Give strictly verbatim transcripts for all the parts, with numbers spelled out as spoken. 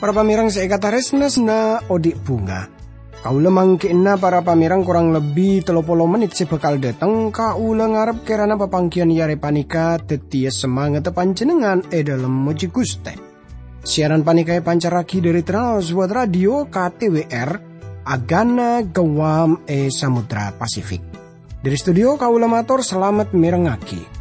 Para pamèrèng sè èkatarèsna, sè na odi' bhunga. Kaulâ manggi'na para pamèrèng korang lebbi tello polo mennit sè bhâkal dhâteng, kaulâ ngarep kèrana papangghiyân è arè panèka dhâddhiyâ samangatta panjhennengngan è dhâlem mojhi Ghustè. Siaran panèka èpancarraghi dhâri Trans World Radio K T W R, Agana Guam è Samudra Pasifik. Dhâri studio kaulâ mator salamet mèrengngaghi.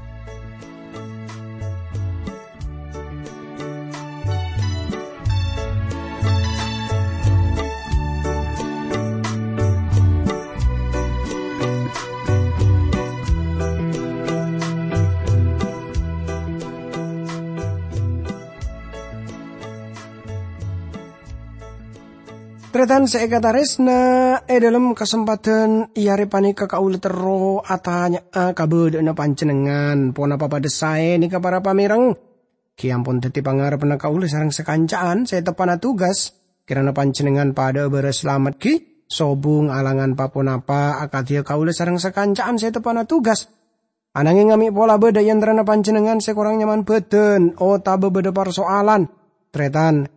Tarètan sè èkatarèsna, è dhâlem kasempadhân è arè panèka kaulâ terro atanya'a kabâdâ'ânna panjhennengngan, ponapa padâ saè nèka para pamèrèng? Ghi ampon dhâddhi pangarebbhânna kaulâ sareng sakanca'an sè teppa'na tugas. Kèrana panjhennengngan padâ'â bârâs salamet ghi, sobung alangan pa-ponapa akadhiyâ kaulâ sareng sakanca'an sè teppa'na tugas. Anangèng amè' pola bâdâ è antarana panjhennengngan sè korang nyaman bhâdhân otabâ bâdâ parsoalan, tarètan,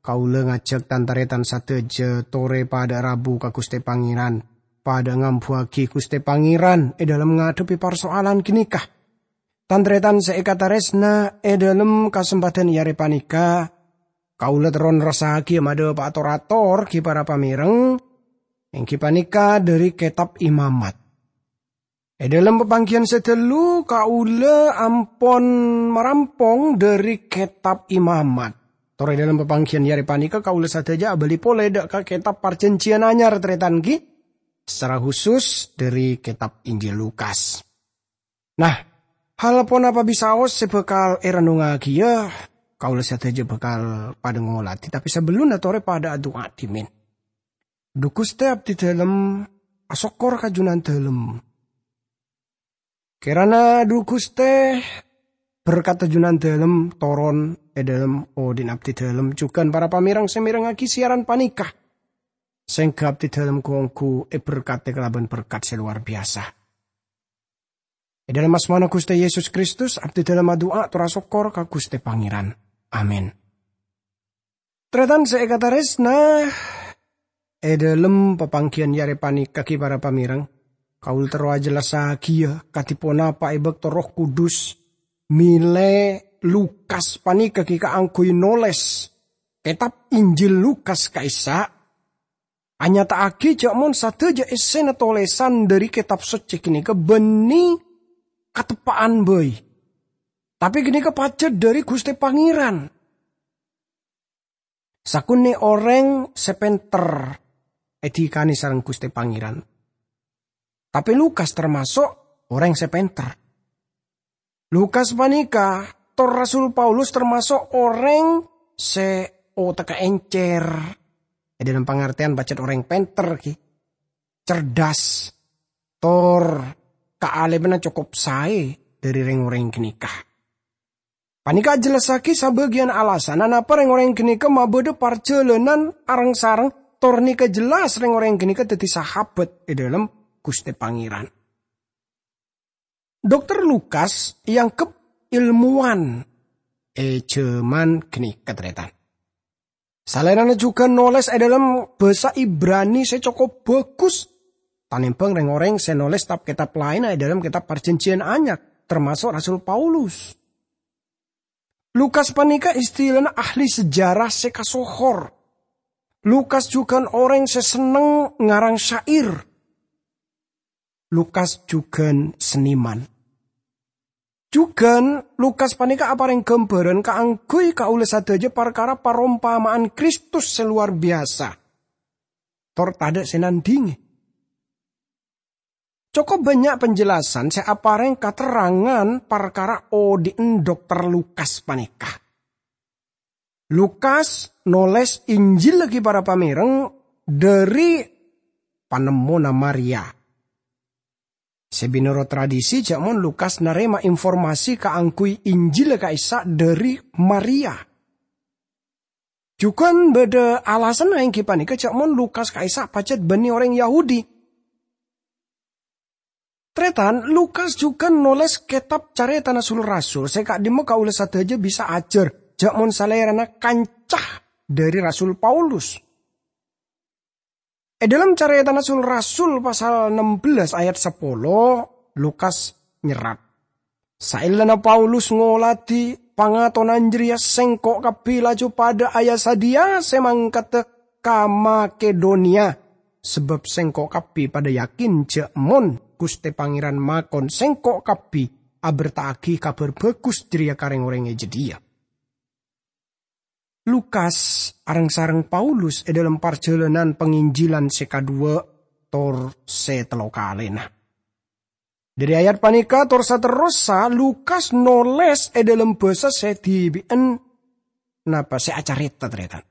kaulâ ngajhâk tan-tarètan sadhâjâ torè padâ rabu ka Ghustè Pangèran, padâ ngambuwâghi Ghustè Pangèran è dhâlem ngadhebbhi parsoalan ghânèka. Tan-tarètan sè èkatarèsna, è dhâlem kasempadhân è arè panèka, kaulâ terro nerrossaghiyâ madhâpa'a tor-ator ghi para pamèrèng, èngghi panèka dhâri Kètab Imamat. È dhâlem papangghiyân sè ghâllu, kaulâ ampon marampong dhâri Kètab Imamat. Tor è dhâlem papangghiyân è arè panèka, kaulâ sadhâjâ abâli polè dhâ' ka Kètab Parjhânjhiyân Anyar, tarètan ghi, sacara husus dhâri Kètab Injil Lukas. Nah, hal ponapa bisaos sè bhâkal èrennungngaghiyâ, kaulâ sadhâjâ bhâkal padâ ngolatè, tapè sabellunna torè padâ adu'a dhimèn. Dhu Ghustè, abdhi dhâlem asokkor ka Jhunandhâlem. Kèrana, dhu Ghustè, berkatta Jhunandhâlem toron è dhâlem odi'na abdhi dhâlem jhughân para pamèrèng sè mèrengngaghi siaran panèka, sèngghâ abdhi dhâlem ghu-ongghu èberkadhi kalabân berkat sè lowar biyasa. È dhâlem asmana Ghustè Yesus Kristus, abdhi dhâlem adu'a tor asokkor ka Ghustè Pangèran. Amin. Tarètan sè èkatarèsna, è dhâlem papangghiyân è arè panèka ghi para pamèrèng, kaulâ terro ajhellassaghiyâ kadhi ponapa è bâkto Erroh Kudus mèlè Lukas panèka ghi kaangghuy nolès Kètab Injil Lukas ka'issa'. Anyata'aghi jhâ' mon sadhâjâ èssèna tolèsan dhâri Kètab Soccè ghânèka bânnè kateppa'an bhâi, tapè ghânèka pajhât dhâri Ghustè Pangèran. Sakonè' orèng sè pènter èdhikanè sareng Ghustè Pangèran. Tapè Lukas tamaso' orèng sè pènter. Lukas panèka, tor Rasul Paulus tamaso' orèng sè otakka èncèr, è dhâlem pangartèyan pajhât orèng pènter ghi, cerdas, tor kaalimmanna cokop saè dhâri rèng-orèng ghânèka. Panèka ajhellassaghiyâ sabâgiyân alasanna napa rèng-orèng ghânèka mabâdâ parjhâlânan areng-sareng, tor nèka jelas rèng-orèng ghânèka dhâddhi sahabat è dhâlem Ghustè Pangèran. Dokter Lukas èangghep èlmowan è jhâman ghânèka, tarètan. Salaènna jhughân nolès è dhâlem bhâsa Ibrani sè cokop bhâghus, tanèmbhâng rèng-orèng sè nolès tab-kètab laènna è dhâlem Kètab Parjhânjhiyân Anyar, tamaso' Rasul Paulus. Lukas panèka istilana ahli sejarah sè kasohor. Lukas jhughân orèng sè senneng ngarang syair. Lukas jhughân sennèman. Jhughân, Lukas panèka aparèng ghâmbhârân kaangghuy kaulâ sadhâjâ parkara parompama'an Kristus sè lowar biyasa. Tor tadâ' sè nandhingè. Cokop bânnya' penjelasan sè aparèng katerrangan parkara odi'na Dokter Lukas panèka. Lukas nolès Injil ghi para pamèrèng dhâri panemmona Maria. Sè mènorot tradisi, jhâ' mon Lukas narèma informasi kaangghuy Injil ka'issa' dhâri Maria. Jughân bâdâ alasanna èngghi panèka jhâ' mon Lukas ka'issa' pajhât bânnè orèng Yahudi. Tarètan, Lukas jughân nolès kètab Carètana Sul-Rasul sè ka'dimma kaulâ sadhâjâ bisa ajhâr jhâ' mon salèrana kanca dhâri Rasul Paulus. È dhâlem Carètana Sul-Rasul pasal ennem belas ayat sapolo, Lukas nyerrat, "Saellana Paulus ngoladhi pangatonan jârèya, sèngko' kabbhi laju padâ aya-sadhiyâ sè mangkaddhâ ka Makedoniya, sabâb sèngko' kabbhi padâ yakin jhâ' mon Ghustè Pangèran makon sèngko' kabbhi aberta'aghi Kabhâr Bhâghus jârèya ka rèng-orèng è jâdiyâ." Lukas areng-sareng Paulus è dhâlem parjhâlânan panginjilan sè kaduwâ' tor sè tello kalèna. Dhâri ayat panèka tor saterrossa, Lukas nolès è dhâlem bhâsa sè dhibi'ân napa sè acarèta, tarètan.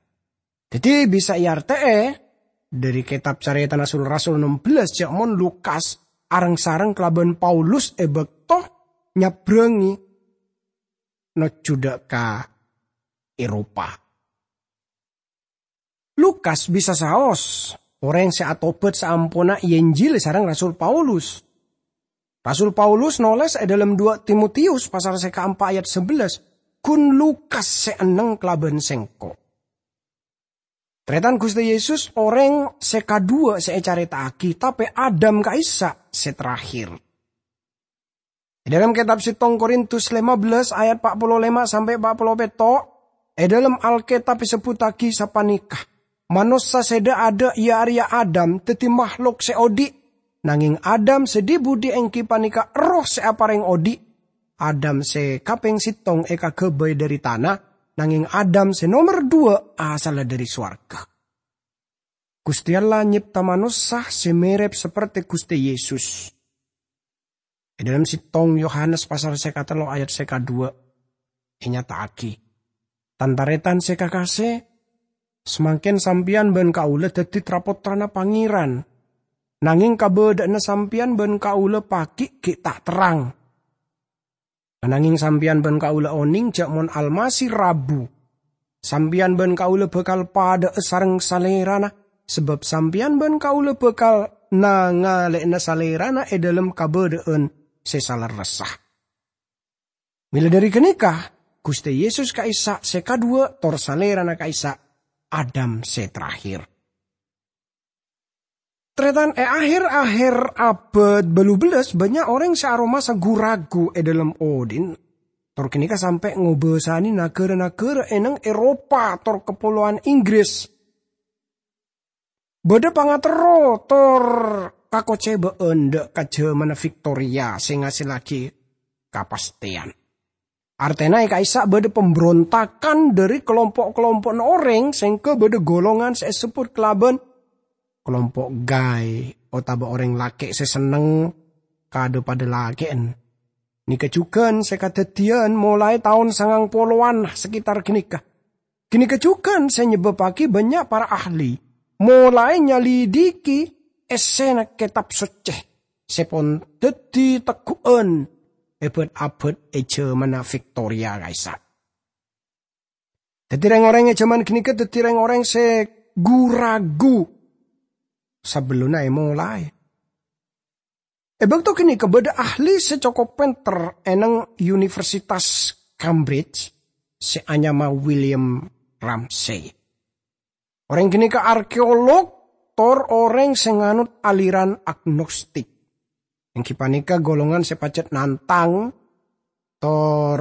Dhâddhi, bisa èartè'è dhâri kètab Carètana Sul-Rasul ennem belas jhâ' mon Lukas areng-sareng kalabân Paulus è bâkto nyabrângi nojjhu dâ' ka Eropa. Lukas bisa saos orèng sè atobhât saamponna èenjili sareng Rasul Paulus. Rasul Paulus nolès è dhâlem dua Timotius pasal sè kaempa' ayat sebelas, "Ghun Lukas sè enneng kalabân sèngko'." Tarètan, Ghustè Yesus orèng sè kaduwâ' sè ècarèta'aghi, tapè Adam ka'issa' sè terakhir. È dhâlem kètab settong Korintus lèma belas ayat pa' polo lèma sampè' pa' polo pètto', è dhâlem Alkètab èsebbhuttaghi sapanèka, "Manossa sè dâ'-adâ', iyâ arèya Adam, dhâddhi mahlok sè odi'. Nangèng Adam sè dhi-budhi èngghi panèka erroh sè aparèng odi'. Adam sè kapèng settong èkaghâbây dhâri tana, nangèng Adam sè nomer duwâ' asalla dhâri sowarghâ." Ghustè Allah nyèpta manossa sè mèrèp saperte Ghustè Yesus. È dhâlem settong Yohanes pasal sè katello ayat sè kaduwâ' ènyata'aghi, "Tan-tarètan sè kakasè, samangkèn sampèyan bân kaulâ dhâddhi tra-pottrana Pangèran. Nangèng kabâdâ'ânna sampèyan bân kaulâ paghi' ghi' ta' terrang. Nangèng sampèyan bân kaulâ onèng jhâ' mon Almasih rabu, sampèyan bân kaulâ bhâkal padâ'â sareng Salèrana, sabâb sampèyan bân kaulâ bhâkal nangalè'ana Salèrana è dhâlem kabâdâ'ân sè salerressa." Mèla dhâri ghânèka, Ghustè Yesus ka'issa' sè kaduwâ' tor Salèrana ka'issa' Adam sè terakhir. Tarètan, è akhèr-akhèr abâd bâllu bellas, bânnya' orèng sè aromasa gu-ragu è dhâlem odi'na. Tor ghânèka sampè' ngobâsanè naghârâ-naghârâ è neng Eropa tor kapolowan Inggris. Bâdâ pangaterro tor kakocèbâ'ân dâ' ka jhâmanna Victoria sè ngasellaghi kapastèyan. Artèna è ka'issa' bâdâ pambrontakan dhâri kalompo'-kalompo'na orèng, sèngghâ bâdâ golongan sè èsebbhut kalabân kalompo' gay otabâ orèng lakè' sè senneng ka dhâ-padhâ lakè'an. Nèka jhughân sè kadhâddhiyân molaè taon sangang polowan saketar ghânèka. Ghânèka jhughân sè nyebâbbhâghi bânnya' para ahli molaè nyalidiki èssèna Kètab Soccè sè pon dhâddhi tegghu'ân è bâd-abâd è jhâmanna Victoria ka'issa'. Dhâddhi, rèng-orèng è jhâman ghânèka dhâddhi rèng-orèng sè gu-ragu sabellunna èmolaè. È bâkto ghânèka bâdâ ahli sè cokop pènter è neng Universitas Cambridge sè anyama William Ramsay. Orèng ghânèka arkeolog tor orèng sè nganot aliran agnostik. Èngghi panèka golongan sè pajhât nantang tor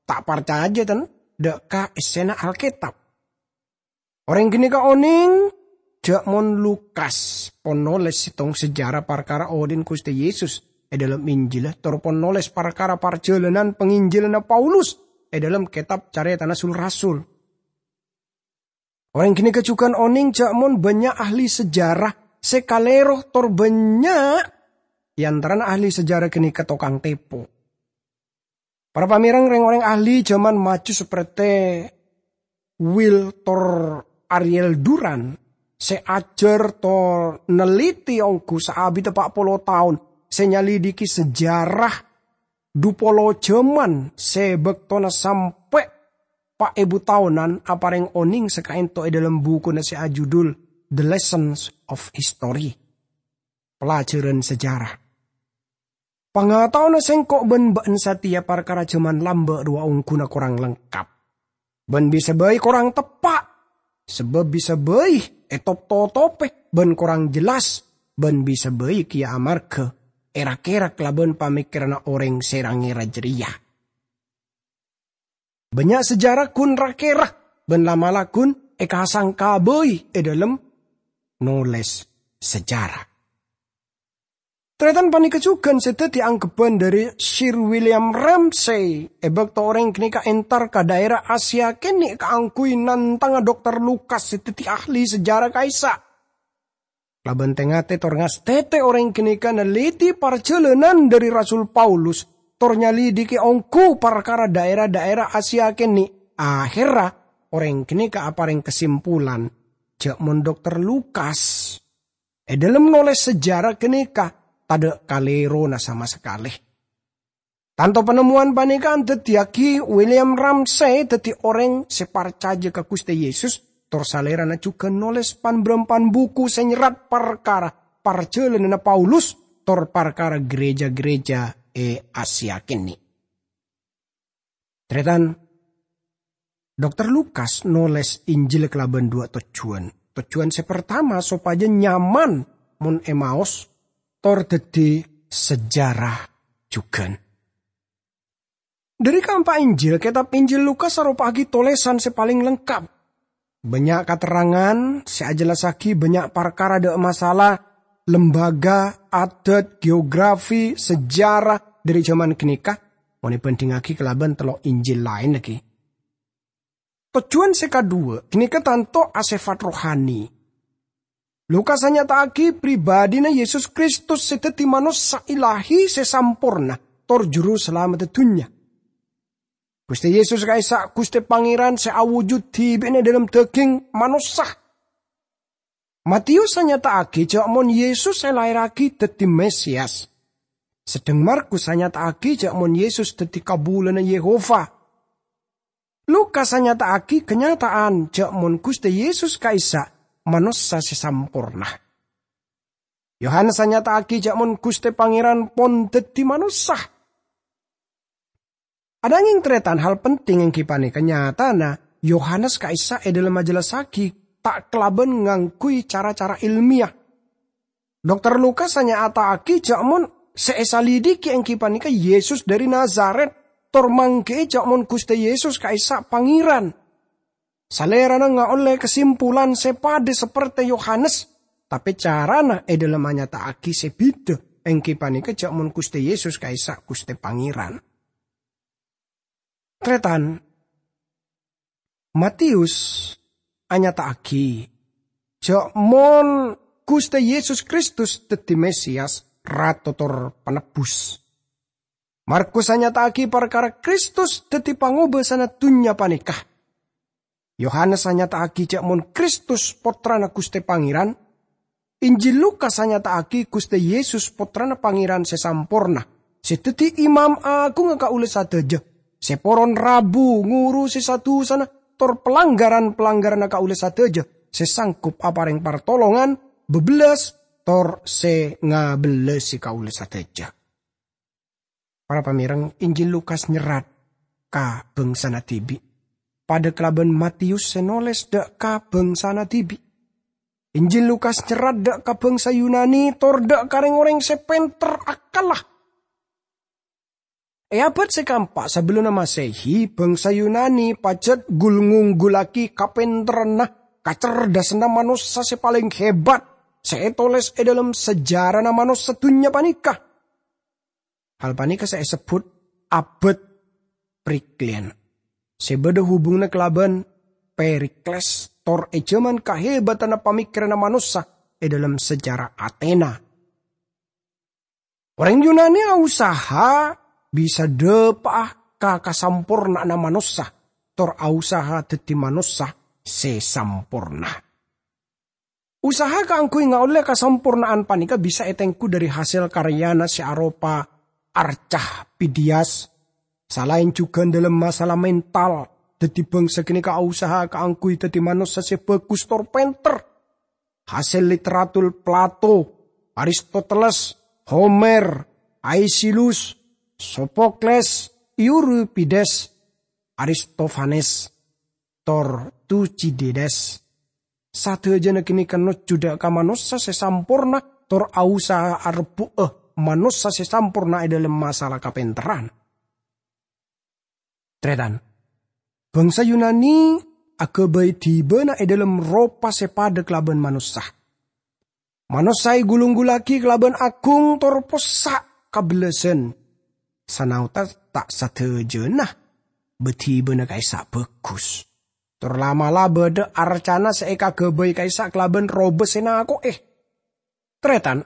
ta' parcajâ, ten, dâ' ka èssèna Alkètab. Orèng ghânèka onèng jhâ' mon Lukas pon nolès sèttong sejarah parkara odi'na Ghustè Yesus è dhâlem Injilla, tor pon nolès parkara parjhâlânan panginjilânna Paulus è dhâlem kètab Carètana Sul-Rasul. Orèng ghânèka jhughân onèng jhâ' mon bânnya' ahli sejarah sè kalèro tor bânnya' è antarana ahli sejarah ghânèka tokang tèpo. Para pamèreng, rèng-orèng ahli jhâman maju saperte Will tor Ariel Duran sè ajhâr tor neliti ongghu saabidda pa' polo taon sè nyalidiki sejarah dhu polo jhâman sè bâktona sampè' pa' èbu taonan aparèng onèng sakaènto è dhâlem bukuna sè ajudul The Lessons of History, Pelajaran Sejarah. Pangataona sèngko' bân bâ'na satèya parkara jhâman lambâ' rowa ongghuna korang lengkap, bân bisa bhâi korang teppa', sabâb bisa bhâi ètop-totopè bân korang jelas, bân bisa bhâi kèya amarghâ èra-kèra kalabân pamèkkèranna orèng sè ra-ngèra jârèya. Bânnya' sejarah ghun ra-kèra bân la'-mala' ghun èkasangka bhâi è dhâlem nolès sejarah. Tarètan panèka jhughân sè dhâddhi angghebbhân dhâri Sir William Ramsay è bâkto orèng ghânèka entar ka dhaèra Asia kènè' kaangghuy nantanga Dokter Lukas sè dhâddhi ahli sejarah ka'issa'. Kalabân tè-ngatè tor ngastètè orèng ghânèka nalèdhi parjhâlânan dhâri Rasul Paulus, tor nyalidiki ongghu parkara dhaèra-dhaèra Asia kènè'. Aherra, orèng ghânèka aparèng kasimpulan jhâ' mon Dokter Lukas è dhâlem nolès sejarah ghânèka tadâ' kalèrona sama sakalè. Tanto panemmowan panèka andhâddhiyâghi William Ramsay dhâddhi orèng sè parcajâ ka Ghustè Yesus, tor salèrana jhughân nolès pan-bârâmpan buku sè nyerrat parkara parjhâlânanna Paulus tor parkara ghârèjâ-ghârèjâ è Asia kènè'. Tarètan, Dokter Lukas nolès Injil kalabân duwâ' tojjhuwân. Tojjhuwân sè partama sopajâ nyaman mon èmaos, tor dhâddhi sejarah jhughân. Dhâri kaempa' Injil, kètab Injil Lukas aropa'aghi tolèsan sè palèng lengkap. Bânnya' katerrangan sè ajellassaghi bânnya' parkara dâ' masalah lembaga, adat, geografi, sejarah dhâri jhâman ghânèka, mon èbhândhingngaghi kalabân tello' Injil laèn laghi. Tojjhuwân sè kaduwâ' ghânèka tanto asèfat rohani. Lukas anyata'aghi pribadhina Yesus Kristus sè dhâddhi manossa ilahi sè samporna tor Juru Salameddhâ dhunnya. Ghustè Yesus ka'issa' Ghustè Pangèran sè awujud dhibi'na è dhâlem dhâghing manossa. Mateyus anyata'aghi jhâ' mon Yesus èlaèrraghi dhâddhi Mesias, sedheng Markus anyata'aghi jhâ' mon Yesus dhâddhi kabulâna Yehova. Lukas anyata'aghi kanyata'an jhâ' mon Ghustè Yesus ka'issa' manossa sè samporna. Yohanes anyata'aghi jhâ' mon Ghustè Pangèran pon dhâddhi manossa. Anangèng, tarètan, hal penting èngghi panèka nyatana Yohanes ka'issa' è dhâlem ajellassaghi ta' kalabân ngangghuy cara-cara èlmiyah. Dokter Lukas anyata'aghi jhâ' mon sè èsalidiki èngghi panèka Yesus dhâri Nazaret, tor mangghi'i jhâ' mon Ghustè Yesus ka'issa' Pangèran. Salèrana ngaollè kasimpulan sè padâ sapertè Yohanes, tapè carana è dhâlem anyata'aghi sè bhidhâ, èngghi panèka jhâ' mon Ghustè Yesus ka'issa' Ghustè Pangèran. Tarètan, Mateyus anyata'aghi jhâ' mon Ghustè Yesus Kristus dhâddhi Mesias, Rato tor Panebbhus. Markus anyata'aghi parkara Kristus dhâddhi pangobâsana dhunnya panèka. Yohanes anyata'aghi jhâ' mon Kristus Pottrana Ghustè Pangèran. Injil Lukas anyata'aghi Ghustè Yesus Pottrana Pangèran sè samporna, sè dhâddhi Imam Aghungnga kaulâ sadhâjâ, sè poron rabu ngurusè sa-dusana tor palanggaran-palanggaranna kaulâ sadhâjâ, sè sanggup aparèng partolongan, bâbellas, tor sè ngabellasè kaulâ sadhâjâ. Para pamèreng, Injil Lukas nyerrat ka bhângsana dhibi', padâ kalabân Mateyus sè nolès dâ' ka bhângsana dhibi'. Injil Lukas nyerrat dâ' ka bhângsa Yunani tor dâ' ka rèng-orèng sè pènter akkalla. È abâd sè kaempa' sabellunna Masehi, bhângsa Yunani pajhât ghul-ngongghullaghi kapènterranna, kacerdasanna manossa sè palèng hebat sè ètolès è dhâlem sejarana manossa dhunnya panèka. Hal panèka sè èsebbhut abâd Periklean, sè bâdâ hubunganna kalabân Perikles, tor è jhâman kahebadhânna pamèkkèranna manossa è dhâlem sejarah Atena. Orèng Yunani ausaha bisa dâpa'a ka kasamporna'anna manossa, tor ausaha dhâddhi manossa sè samporna. Usaha kaangghuy ngaollè kasamporna'an panèka bisa ètengghu dhâri hasèl karyana sè aropa arca Pidias, salaèn jhughân dhâlem masalah mental, Daddi bangsa ganeka ausaha kaangguy daddi manossa se bagus tor penter. Hasel literatur Plato, Aristoteles, Homer, Aeschylus, Sophocles, Euripides, Aristofanes, tor Thucydides. Sadajana ganeka nojjhu dha' ka manossa se samporna, tor ausaha arebbu'a manossa se samporna e dhalem masalah kapenterran. Taretan, bangsa Yunani agabay dibana e dhalem ropa se padha kalaban manossa. Manossa egulunggullagi kalaban agung tor possa' kabellasan. Sanaossa ta' sadajana badhibana ka'issa' bagus. Tor la'-mala' badha arcana se ekagabay ka'issa' kalaban roba se nako'e. Taretan,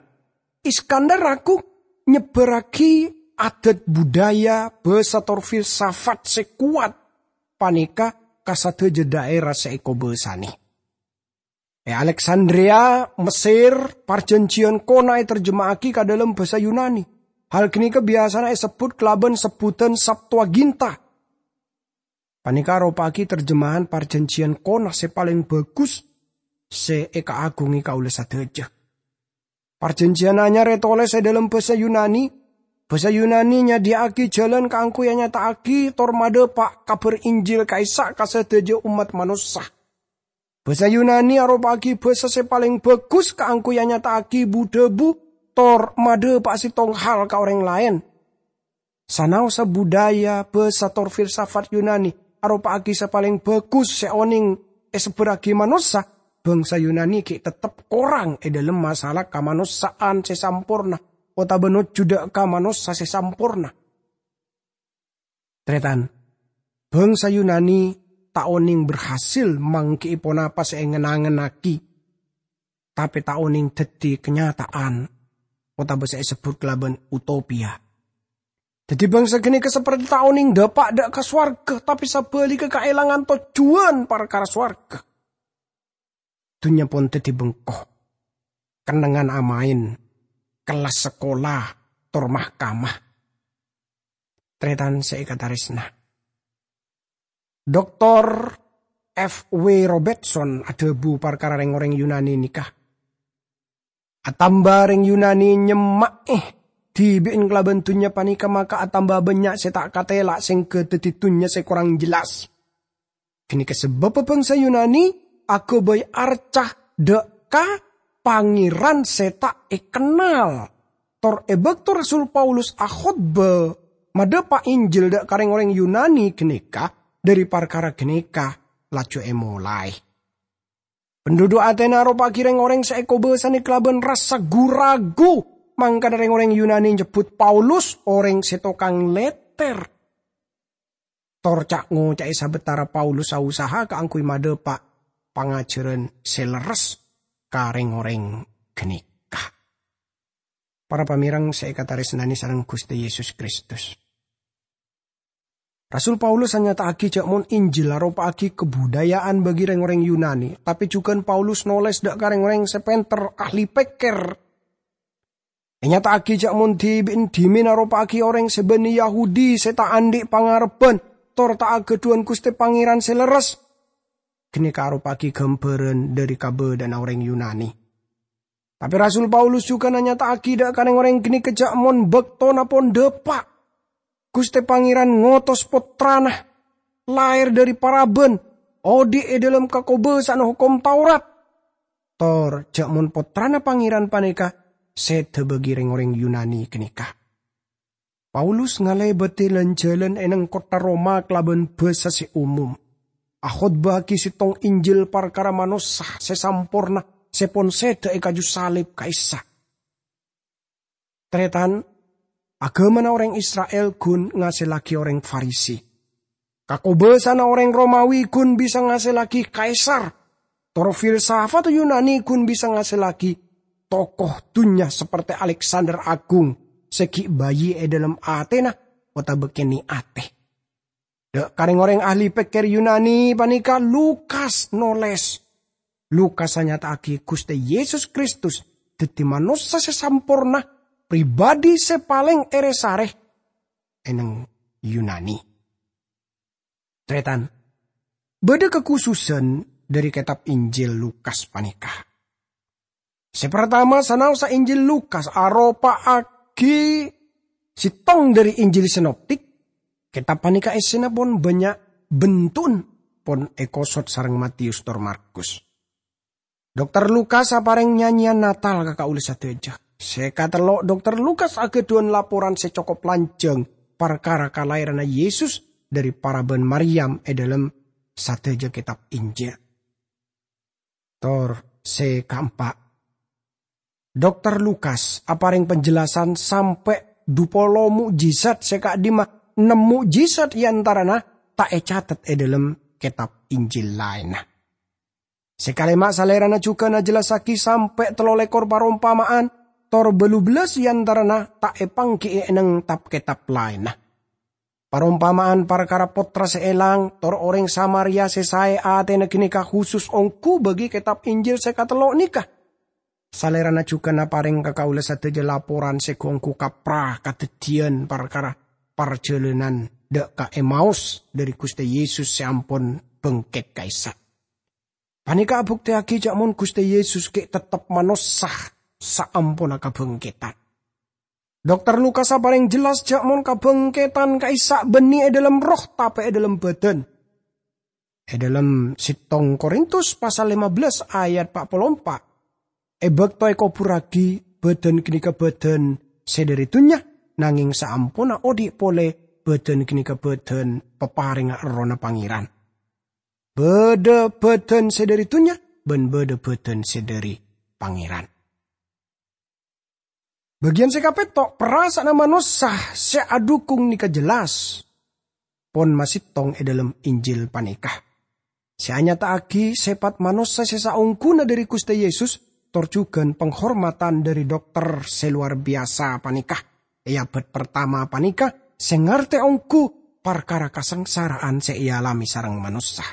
Iskandar Agung nyebbarragi adat budaya, basa, tor filsafat se kowat paneka ka sadaja dhaera se ekobasane. E Aleksandria, Mesir, Parjanjian Kona eterjema'agi ka dhalem basa Yunani. Hal ganeka biyasana esebbut kalaban sebbutan Septuaginta. Paneka aropa'agi terjemahan Parjanjian Kona se paleng bagus se ekaagunge kaula sadaja. Parjanjian Anyar etoles e dhalem basa Yunani. Basa Yunani nyadhiya'agi jalan kaangguy anyata'agi tor madhapa' Kabar Injil ka'issa' ka sadaja ommat manossa. Basa Yunani aropa'agi basa se paleng bagus kaangguy anyata'agi bu-dhabu tor madhapa' settong hal ka oreng laen. Sanaossa budaya, basa, tor filsafat Yunani aropa'agi se paleng bagus se oneng esebbharragi manossa, bangsa Yunani gi' tettep korang e dhalem masalah kamanossa'an se samporna otaba nojjhu dha' ka manossa se samporna. Taretan, bangsa Yunani ta' oneng berhasil manggi'i ponapa se engen-angennagi, tape ta' oneng daddi kenyataan otaba se esebbut kalaban utopia. Daddi bangsa ganeka saperti ta' oneng dhapa' dha' ka sowarga, tape sabaligga kaelangan tojjuwan parkara sowarga. Dunnya pon daddi bengko, kennengngan amaen, kellas sakola, tor mahkamah. Taretan se ekataresna, Doktor F W Robertson adhabu parkara reng-oreng Yunani neka, "Atamba reng Yunani nyemma'e dhibi'en kalaban dunnya paneka, maka atamba bannya' se ta' katela' sengga daddi dunnya se korang jelas. Ganeka sababba bangsa Yunani agabay arca dha' ka pangeran se ta' ekennal." Tor e bakto Rasul Paulus akhotba madhapa' Injil dha' ka reng-oreng Yunani ganeka, dhari parkara ganeka laju emolae. Penduduk Atena aropa'agi reng-oreng se ekobasane kalaban rassa gu-ragu, mangkana reng-oreng Yunani nyebbut Paulus oreng se tokang letter. Tor ca'-ngoca'e sabatara Paulus ausaha kaangguy madhapa' pangajaran se lerres ka reng-oreng ganeka. Para pamereng se ekataresnane sareng Guste Yesus Kristus, Rasul Paulus anyata'agi ja' mon Injil aropa'agi kabudaya'an bagi reng-oreng Yunani, tape jugan Paulus noles dha' ka reng-oreng se penter, ahli pekker. Enyata'agi ja' mon dhibi'en dhimen aropa'agi oreng se banne Yahudi se ta' andhi' pangarebban tor ta' agadhuwan Guste Pangeran se lerres. Ganeka aropa'agi gambaran dhari kabadha'anna oreng Yunani. Tape Rasul Paulus jugan anyata'agi dha' ka reng-oreng ganeka ja' mon baktona pon dhapa', Guste Pangeran ngotos Pottrana, laher dhari paraban, odhi' e dhalem kakobasa'anna Hokom Taurat. Tor ja' mon Pottrana Pangeran paneka seda bagi reng-oreng Yunani ganeka. Paulus ngalebadi lan-jalan e neng kottha Roma kalaban basa se omom, akhotbahagi settong Injil parkara manossa se samporna se pon seda e kaju salib ka'issa'. Taretan, agamana oreng Isra'il gun ngasellagi oreng Farisi. Kakobasa'anna oreng Romawi gun bisa ngasellagi kaisar. Tor filsafat Yunani gun bisa ngasellagi tokoh dunnya saperti Aleksander Agung se gi' bayi e dhalem atena otaba kene' ate. Dha' ka reng-oreng ahli pekker Yunani paneka Lukas noles. Lukas anyata'agi Guste Yesus Kristus daddi manossa se samporna, pribadi se paleng ere-sare e neng Yunani. Taretan, Bâdâ kakhususan dhâri kètab Injil Lukas panèka. Sè partama, sanaossa Injil Lukas aropa'aghi sèttong dhâri Injil sinoptik, kètab panèka èssèna pon bânnya' bentu'en, pon èkosot sareng Matius tor Markus. Dokter Lukas aparèng nyanyèyan Natal ka kaulâ sadhâjâ. Sè katello', Dokter Lukas aghâdhuwân laporan sè cokop lanjhâng parkara kalaèranna Yesus dhâri parabân Maryam è dhâlem sadhâjâ kètab Injil. Tor sè kaempa', Dokter Lukas aparèng penjelasan sampè' dhu polo mo'jizat sè ka'dhimma ennem mo'jizat è antarana ta' ècatet è dhâlem kètab Injil laènna. Sè kalèma', Salèrana jhughân ajellassaghi sampè' tello lèkor parompama'an, tor bâllu bellâs è antarana ta' èpangghi'i è nèng tab-kètab laènna. Parompama'an parkara pottra sè èlang, tor orèng Samaria sè saè atèna ghânèka khusus ongghu bâgi kètab Injil sè katello' nèka. Salèrana jhughân aparèng ka kaulâ sadhâjâ laporan sè ghu-ongghu kapra kadhâddhiyân parkara parjhâlânan dâ' ka Emaus dhâri Ghustè Yesus sè ampon bângkèt ka'issa'. Panèka abuktèyaghi jhâ' mon Ghustè Yesus ghi' tettep manossa saamponna kabângkèdhân. Dokter Lukas aparèng jelas jhâ' mon kabângkèdhân ka'issa' bânnè è dhâlem erroh, tapè è dhâlem bhâdhân. È dhâlem sèttong Korintus pasal lèma bellâs ayat pa' polo empa', "È bâkto èkoburraghi, bhâdhân ghânèka bhâdhân sè dhâri dhunnya, nangèng saamponna odi' polè, bhâdhân ghânèka bhâdhân paparèngnga Errohna Pangèran." Bâdâ bhâdhân sè dhâri dhunnya bân bâdâ bhâdhân sè dhâri Pangèran. Bâgiyân sè kapètto', parasa'anna manossa sè adhukung nèka jelas pon masèttong è dhâlem Injil panèka, sè anyata'aghi sèpat manossa sè saongghuna dhâri Ghustè Yesus, tor jhughân panghormadhân dhâri dokter sè lowar biyasa panèka è abâd partama panèka sè ngartè ongghu parkara kasangsara'an sè èalamè sareng manossa.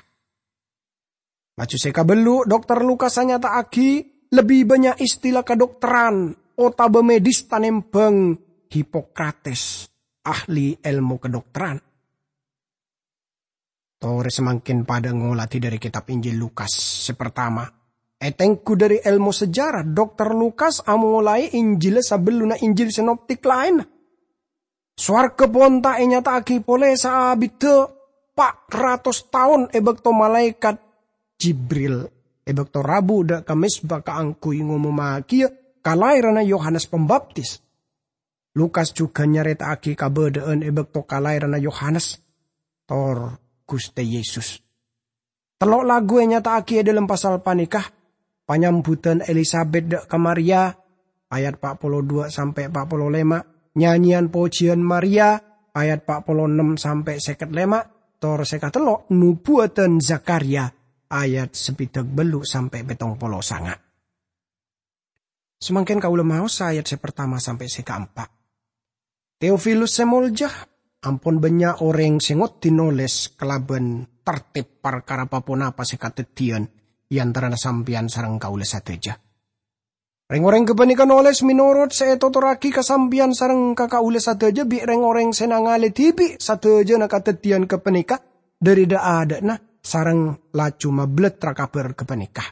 Laju sè kabellu', Dokter Lukas anyata'aghi lebbi bânnya' istilah kadokteran otabâ medis tanèmbhâng Hipokrates, ahli èlmo kadokteran. Torè samangkèn padâ ngolatè dhâri kètab Injil Lukas sè partama. Ètengghu dhâri èlmo sejarah, Dokter Lukas amolaè Injilla sabellunna Injil sinoptik laènna. Sowarghâ pon ta' ènyata'aghi polè saabiddhâ pa' ratos taon è bâkto malaèkat Jibril è bâkto rabu dâ' ka mezba kaangghuy ngomomagiyâ kalaèranna Yohanes Pambaptis. Lukas jhughân nyarèta'aghi kabâdâ'ân è bâkto kalaèranna Yohanes tor Ghustè Yesus. Tello' lagu ènyata'aghi è dhâlem pasal panèka, panyambuddhân Elisabet dâ' ka Maria, ayat pa' polo duwâ' sampè' pa' polo lèma', nyanyèyan pojiyân Maria, ayat pa' polo ennem sampè' sèket lèma', tor sè katello' nobuwâddhân Zakharia, ayat sabiddhâk bâllu' sampè' pèttong polo sanga'. Samangkèn kaulâ maosa ayat sè partama sampè' sè kaempa'. Teofilus sè molja, ampon bânnya' orèng sè ngoddi nolès kalabân tartib parkara pa-ponapa sè kadhâddhiyân è antarana sampèyan sareng kaulâ sadhâjâ. Rèng-orèng ghâpanèka nolès mènorot sè ètotorraghi ka sampèyan sareng ka kaulâ sadhâjâ bi' rèng-orèng sè nangalè dhibi' sadhâjâna kadhâddhiyân ghâpanèka dhâri dha'-adha'na sareng laju mabelletra kabhâr ghâpanèka.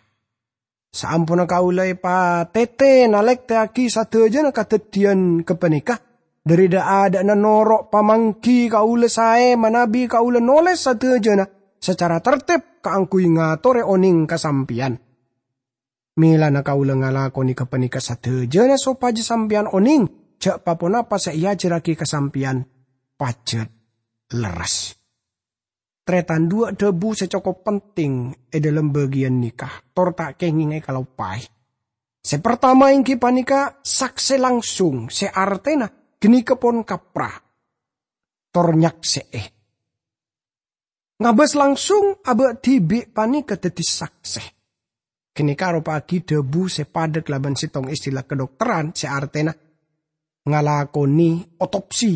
Saamponna kaulâ èpatètè nalèktèyaghi sadhâjâna kadhâddhiyân ghâpanèka, dhâri dha'-adha'na noro' pamangghi kaulâ saè manabi kaulâ nolès sadhâjâna sacara tartib kaangghuy ngatorè onèng ka sampèyan. Mèlana kaulâ ngalakonè ghâpanèka sadhâjâna sopajâ sampèyan onèng jhâ' pa-ponapa sè èajhârraghi ka sampèyan pajhât lerres. Tarètan, duwâ' dhâbu sè cokop penting è dhâlem bâgiyân nèka, tor ta' kèngèng èkaloppaè. Sè partama èngghi panèka saksè langsung, sè artèna ghânèka pon kapra, tor nyaksè'è. Ngabâs langsung abâ' dhibi' panèka dhâddhi saksè. Ghânèka aropa'aghi dhâbu sè padâ kalabân sèttong istilah kadhokteran sè artèna ngalakonè otopsi.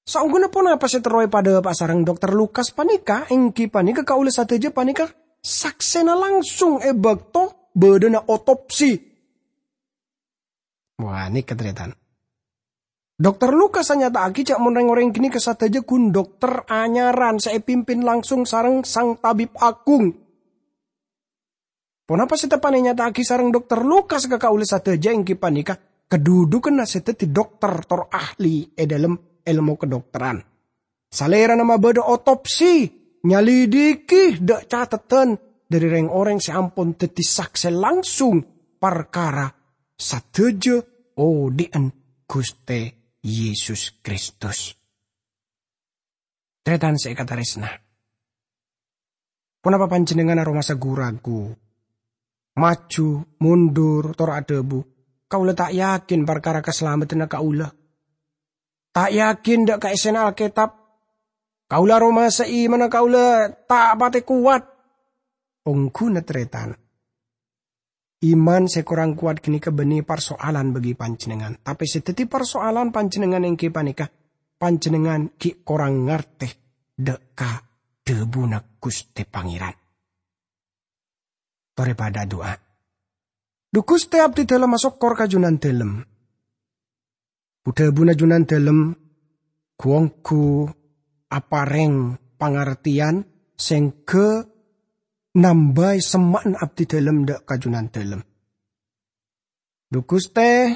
Saongghuna ponapa sè terro èpadhâpa'a sareng Dokter Lukas panèka, èngghi panèka kaulâ sadhâjâ panèka saksèna langsung è bâkto bâdâna otopsi. Wah, nèka, tarètan. Dokter Lukas anyata'aghi ja' mon reng-oreng ganeka sadaja gun dokter anyaran se epimpin langsung sareng Sang Tabib Agung. Ponapa se teppa'na enyata'aghi sareng Dokter Lukas ka kaula sadaja enggi paneka kadudukanna se daddi dokter tor ahli e dhalem elmo kedokteran. Salerana mabadha otopsi, nyalidiki dha' catetan dhari reng-oreng se ampon daddi sakse langsung parkara sadaja odhi'an Guste Yesus Kristus. Taretan se ekataresna, ponapa panjennengngan aromasa gu-ragu, maju, mundur, tor adhabu, "Kaula ta' yakin parkara kasalameddhanna kaula. Ta' yakin dha' kaessena Alketab. Kaula aromasa imanna kaula ta' pate kowat." Ongghuna taretan. Iman se korang kowat ganeka banne parsoalan bagi panjennengngan. Tape se daddi parsoalan panjennengngan enggi paneka, panjennengngan gi' korang ngarte dha' ka dhabuna Guste Pangeran. Tore padha adu'a. Dhu Guste, abdidalem asokkor ka Junandalem. Bu-dhabuna Junandalem gu-onggu apareng pangarteyan sengga nambai semma'na abdidalem dha' ka Junandalem. Dhu Guste,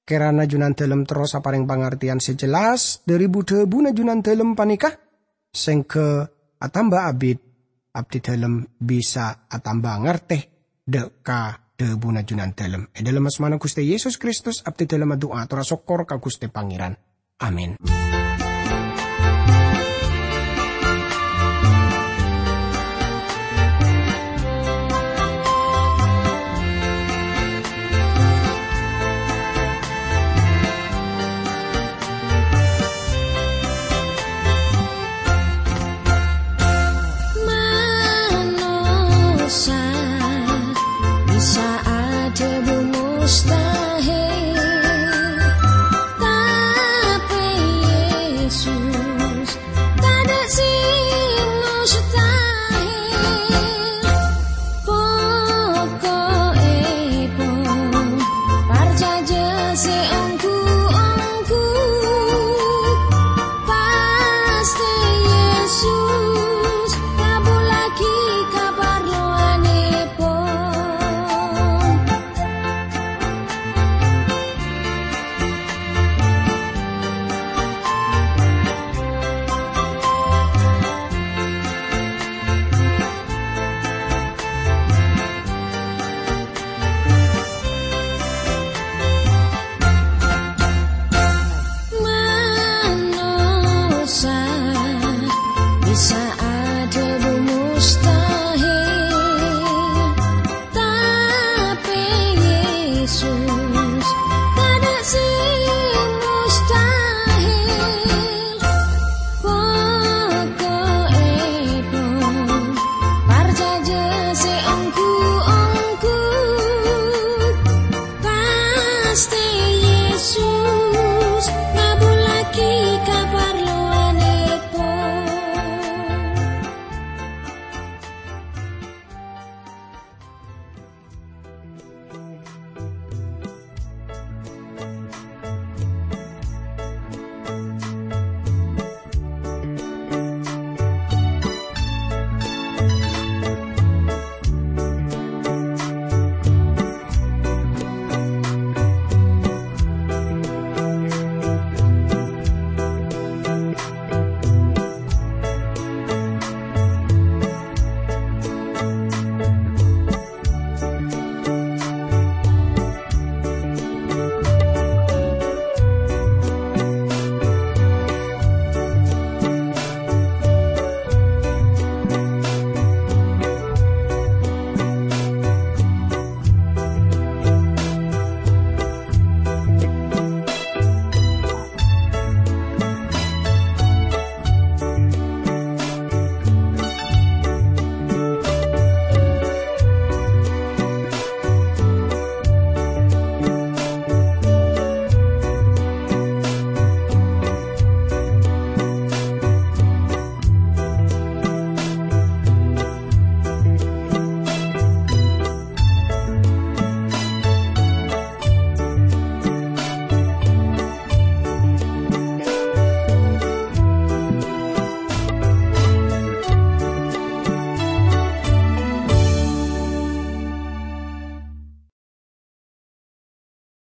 kerana Junandalem terros apareng pangarteyan se jelas dhari bu-dhabuna Junandalem paneka, sengga atamba abit abdidalem bisa atamba ngarte dha' ka dhabuna Junandalem. E dhalem asmana Guste Yesus Kristus, abdidalem adu'a tor asokkor ka Guste Pangeran. Amin. Manossa bisa adhabu mustahil.